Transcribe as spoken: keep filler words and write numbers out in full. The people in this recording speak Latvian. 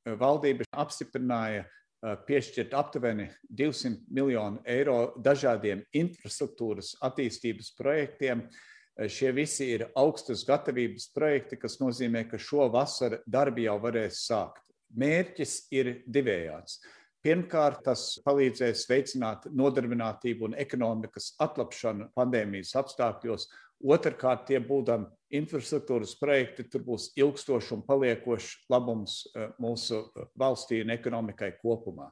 valdība apstiprināja piešķirt aptuveni divsimt miljonu eiro dažādiem infrastruktūras attīstības projektiem. Šie visi ir augstas gatavības projekti, kas nozīmē, ka šo vasaru darbi jau varēs sākt. Mērķis ir divējāds. Pirmkārt, tas palīdzēs veicināt nodarbinātību un ekonomikas atlapšanu pandēmijas apstākļos. Otrkārt, tie būdami infrastruktūras projekti, tur būs ilgstošs un paliekošs labums mūsu valstī un ekonomikai kopumā.